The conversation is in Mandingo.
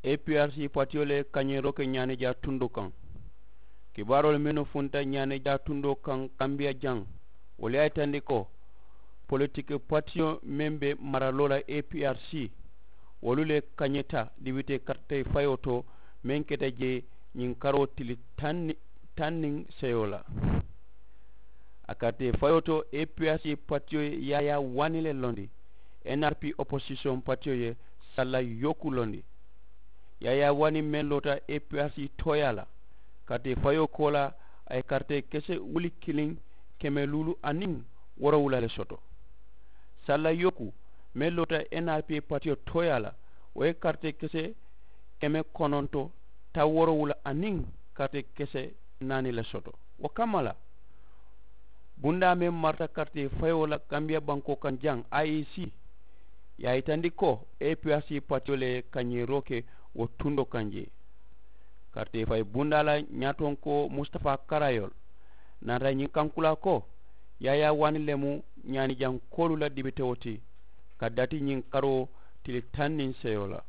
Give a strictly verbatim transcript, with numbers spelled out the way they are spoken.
A P R C patiyo le kañeeroo ke ñaanijaa tundoo kaŋ. Kibaaroolu mennu funta ñaanijaa tundoo kaŋ kambiya jaŋ, wolu ye a yitandi ko politiki patiyo meŋ be maraloo la A P R C, wolu le kañeta dibitee karitee fayoo to, meŋ keta jee ñiŋ karoo tili taŋ niŋ seyoo la. A karitee fayoo to, A P R C patiyo ye yaayaa waani le londi. N R P oposisiyoŋ patiyo ye salla yooku londi. Yaayaa waani meŋ loota A P R C tooyaa la, karitee fayoo koolaa, a ye karitee kese wuli kiliŋ keme luulu aniŋ woorowula le soto. Salla yooku meŋ loota N R P patiyo tooyaa la, wo ye karitee kese keme kononto taŋ woorowula aniŋ karitee kese naani le soto. Wo kamma la, bundaa meŋ marata karitee fayoo la kambiya bankoo kaŋ jaŋ, I E C, ye a yitandi ko A P R C patiyo le ye kañeeroo ke wo tundoo kaŋ jee. Karitee fayi bundaa la ñaatonkoo, mustafaa karayol, naata ñiŋ kankulaa ko, yaayaa waani le mu ñaanijankoolu la dibitewo ti, ka dati ñiŋ karoo tili taŋ niŋ seyoo la.